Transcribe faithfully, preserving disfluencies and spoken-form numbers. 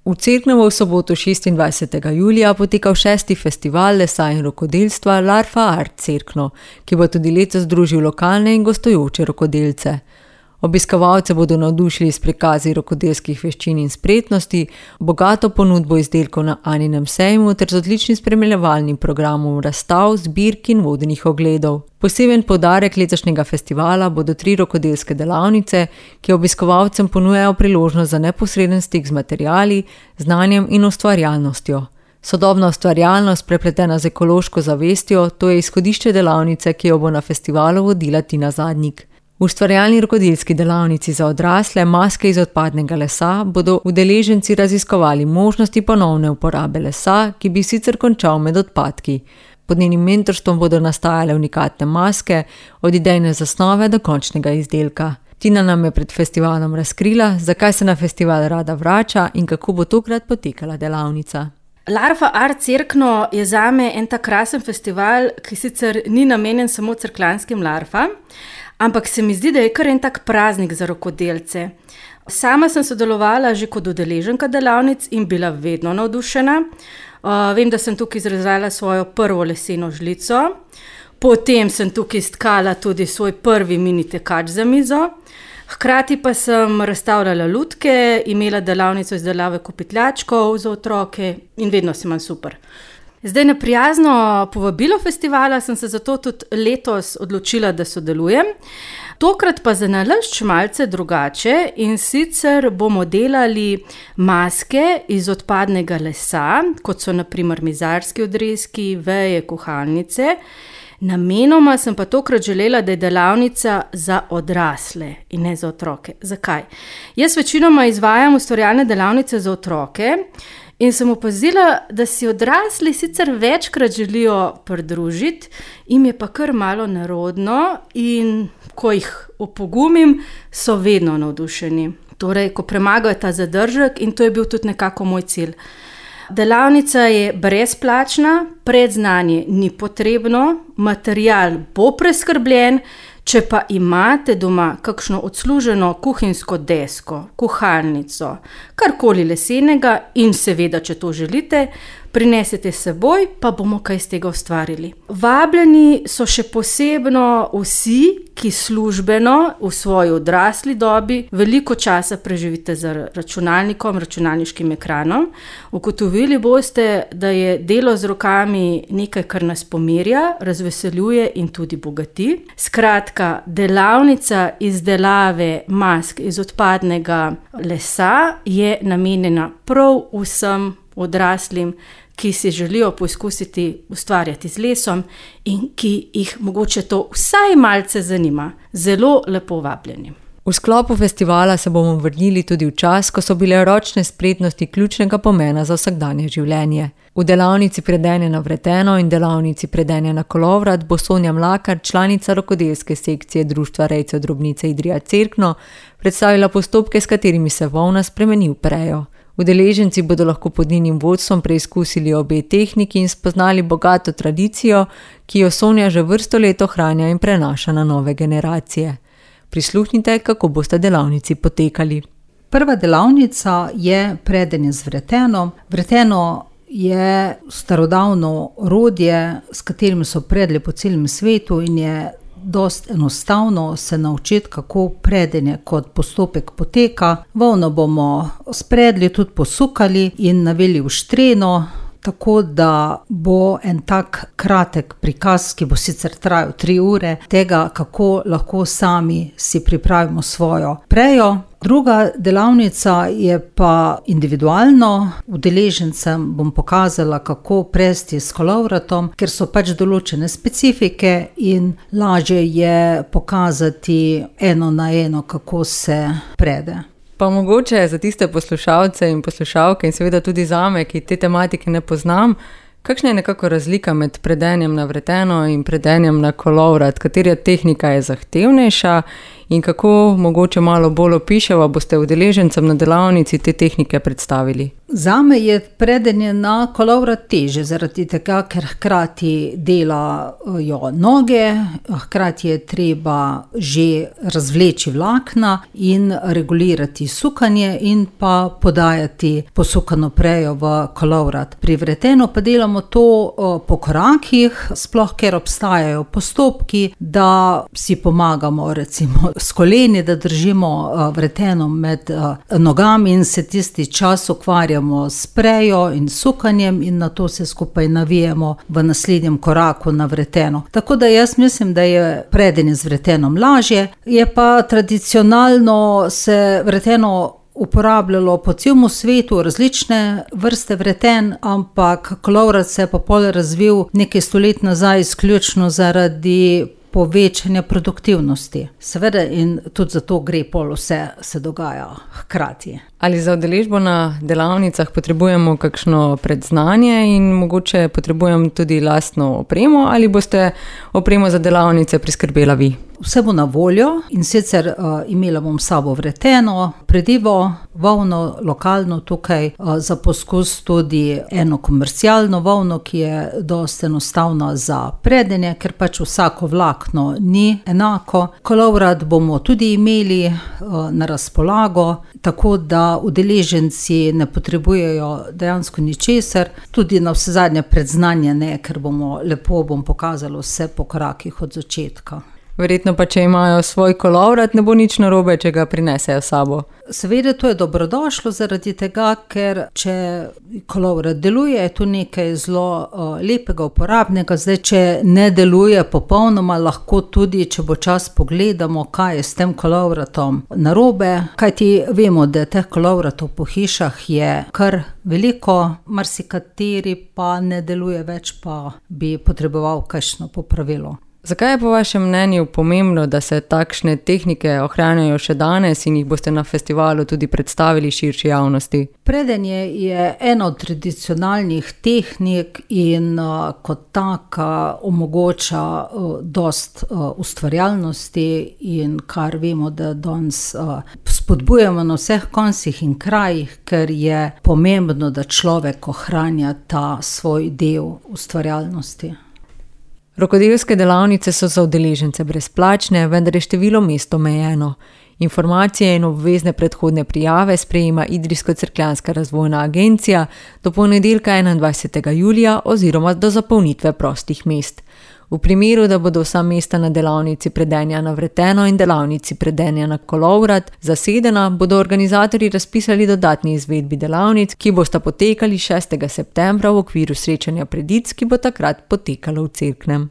V Cerknovo v soboto šestindvajsetega julija potekal šesti festival lesa in rokodelstva Larfa Art Cerkno, ki bo tudi letos združil lokalne in gostujoče rokodelce. Obiskovalce bodo navdušili s prikazi rokodelskih veščin in spretnosti, bogato ponudbo izdelkov na Aninem sejmu ter z odličnim spremljevalnim programom razstav, zbirk in vodenih ogledov. Poseben poudarek letošnjega festivala bodo tri rokodelske delavnice, ki obiskovalcem ponujajo priložnost za neposreden stik z materiali, znanjem in ustvarjalnostjo. Sodobna ustvarjalnost, prepletena z ekološko zavestjo, to je izhodišče delavnice, ki jo bo na festivalu vodila Tina Zadnik. V ustvarjalni rokodelski delavnici za odrasle Maske iz odpadnega lesa bodo udeleženci raziskovali možnosti ponovne uporabe lesa, ki bi sicer končal med odpadki. Pod njenim mentorstvom bodo nastajale unikatne maske, od idejne zasnove do končnega izdelka. Tina nam je pred festivalom razkrila, zakaj se na festival rada vrača in kako bo tokrat potekala delavnica. Larfa Art Cerkno je zame en tak krasen festival, ki sicer ni namenjen samo cerkljanskim larfam, ampak se mi zdi, da je kar en tak praznik za rokodelce. Sama sem sodelovala že kot udeleženka delavnic in bila vedno navdušena. Uh, vem, da sem tukaj izrezala svojo prvo leseno žlico, potem sem tukaj stkala tudi svoj prvi mini tekač za mizo, hkrati pa sem razstavljala lutke, imela delavnico izdelave kopitljačkov za otroke in vedno se imam super. Zdaj na prijazno povabilo festivala sem se zato tudi letos odločila, da sodelujem. Tokrat pa za nalašč malce drugače in sicer bomo delali maske iz odpadnega lesa, kot so na primer mizarski odrezki, veje, kuhalnice. Namenoma sem pa tokrat želela, da je delavnica za odrasle in ne za otroke. Zakaj? Jaz večinoma izvajam ustvarjalne delavnice za otroke, in sem opazila, da si odrasli sicer večkrat želijo pridružiti, jim je pa kar malo nerodno in ko jih opogumim, so vedno navdušeni. Torej, ko premagajo ta zadržek in to je bil tudi nekako moj cilj. Delavnica je brezplačna, predznanje ni potrebno, material bo preskrbljen. Če pa imate doma kakšno odsluženo kuhinjsko desko, kuhalnico, karkoli lesenega in seveda, če to želite, prinesete s seboj, pa bomo kaj z tega ustvarili. Vabljeni so še posebno vsi, ki službeno v svoji odrasli dobi veliko časa preživite za računalnikom, računalniškim ekranom. Ugotovili boste, da je delo z rokami nekaj, kar nas pomirja, razveseljuje in tudi bogati. Skratka, delavnica izdelave mask iz odpadnega lesa je namenjena prav vsem odraslim, ki si želijo poizkusiti ustvarjati z lesom in ki jih mogoče to vsaj malce zanima. Zelo lepo vabljeni. V sklopu festivala se bomo vrnili tudi v čas, ko so bile ročne spretnosti ključnega pomena za vsakdanje življenje. V delavnici predenja na vreteno in delavnici predenja na kolovrat bo Sonja Mlakar, članica rokodelske sekcije Društva rejcev drobnice Idrija Cerkno, predstavila postopke, s katerimi se volna spremeni v prejo. Udeleženci bodo lahko pod njenim vodstvom preizkusili obe tehniki in spoznali bogato tradicijo, ki jo Sonja že vrsto let ohranja in prenaša na nove generacije. Prisluhnite, kako boste delavnici potekali. Prva delavnica je predenje z vreteno. Vreteno je starodavno orodje, s katerim so predli po celem svetu in je dost enostavno se naučiti, kako predenje kot postopek poteka. Volno bomo spredli, tudi posukali in navili v štreno, tako da bo en tak kratek prikaz, ki bo sicer trajal tri ure, tega, kako lahko sami si pripravimo svojo prejo. Druga delavnica je pa individualno. Udeležencem bom pokazala, kako presti s kolovratom, ker so pač določene specifike in lažje je pokazati eno na eno, kako se prede. Pa mogoče za tiste poslušalce in poslušalke in seveda tudi zame, ki te tematike ne poznam, kakšna je nekako razlika med predenjem na vreteno in predenjem na kolovrat? Katera tehnika je zahtevnejša In kako mogoče malo bolj opiševa, boste udeležencem na delavnici te tehnike predstavili? Zame je predenje na kolovrat teže, zaradi tega, ker hkrati delajo noge, hkrati je treba že razvleči vlakna in regulirati sukanje in pa podajati posukano prejo v kolovrat. Pri vretenu pa delamo to po korakih, sploh ker obstajajo postopki, da si pomagamo recimo s koleni, da držimo vreteno med nogami in se tisti čas ukvarjamo s prejo in sukanjem in na to se skupaj navijemo v naslednjem koraku na vreteno. Tako da jaz mislim, da je predenje z vretenom lažje, je pa tradicionalno se vreteno uporabljalo po celem svetu, različne vrste vreten, ampak kolovrat se je pa pol razvil nekaj stolet nazaj izključno zaradi povečanja produktivnosti. Seveda in tudi zato gre pol vse se dogaja hkrati. Ali za udeležbo na delavnicah potrebujemo kakšno predznanje in mogoče potrebujem tudi lastno opremo ali boste opremo za delavnice priskrbela vi? Vse bo na voljo in sicer uh, imela bom s sabo vreteno, predivo, volno, lokalno tukaj, uh, za poskus tudi eno komercialno volno, ki je dosti enostavna za predenje, ker pač vsako vlakno ni enako. Kolovrat bomo tudi imeli uh, na razpolago, tako da udeleženci ne potrebujejo dejansko ničesar, tudi na vse zadnje predznanje ne, ker bomo lepo bom pokazalo vse po korakih od začetka. Verjetno pa, če imajo svoj kolovrat, ne bo nič narobe, če ga prinesejo s sabo. Seveda to je dobrodošlo zaradi tega, ker če kolovrat deluje, je to nekaj zelo uh, lepega, uporabnega. Zdaj, če ne deluje popolnoma, lahko tudi, če bo čas pogledamo, kaj je s tem kolovratom narobe. Kajti vemo, da teh kolovratov po hišah je kar veliko, marsikateri pa ne deluje več, pa bi potreboval kakšno popravilo. Zakaj je po vašem mnenju pomembno, da se takšne tehnike ohranjajo še danes in jih boste na festivalu tudi predstavili širši javnosti? Predenje je ena od tradicionalnih tehnik in uh, kot taka omogoča uh, dost uh, ustvarjalnosti in kar vemo, da danes uh, spodbujamo na vseh koncih in krajih, ker je pomembno, da človek ohranja ta svoj del ustvarjalnosti. Rokodelske delavnice so za udeležence brezplačne, vendar je število mest omejeno. Informacije in obvezne predhodne prijave sprejema Idrijsko-Cerkljanska razvojna agencija do ponedeljka enaindvajsetega julija oziroma do zapolnitve prostih mest. V primeru, da bodo vsa mesta na delavnici predenja na vreteno in delavnici predenja na kolovrat zasedena, bodo organizatorji razpisali dodatni izvedbi delavnic, ki bosta potekali šestega septembra v okviru srečanja Predic, ki bo takrat potekalo v Cerknem.